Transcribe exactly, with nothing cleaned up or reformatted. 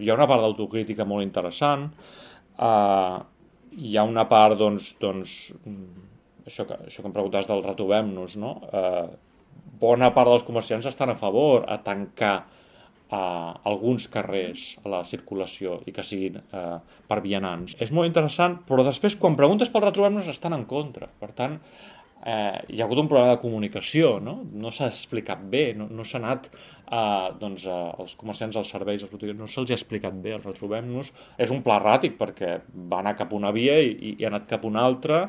hi ha una part d'autocrítica molt interessant, eh, hi ha una part, doncs, doncs això que, això que em preguntaves del retrobem-nos, no? Eh, bona part dels comerciants estan a favor a tancar eh, alguns carrers a la circulació i que siguin eh, per vianants. És molt interessant, però després quan preguntes pel retrobem-nos estan en contra. Per tant, eh, hi ha hagut un problema de comunicació, no? No s'ha explicat bé, no, no s'ha anat eh, doncs, eh, els comerciants, als serveis, als botiguers, no se'ls ha explicat bé el retrobem-nos. És un pla erràtic perquè va anar cap a una via i, i ha anat cap a una altra.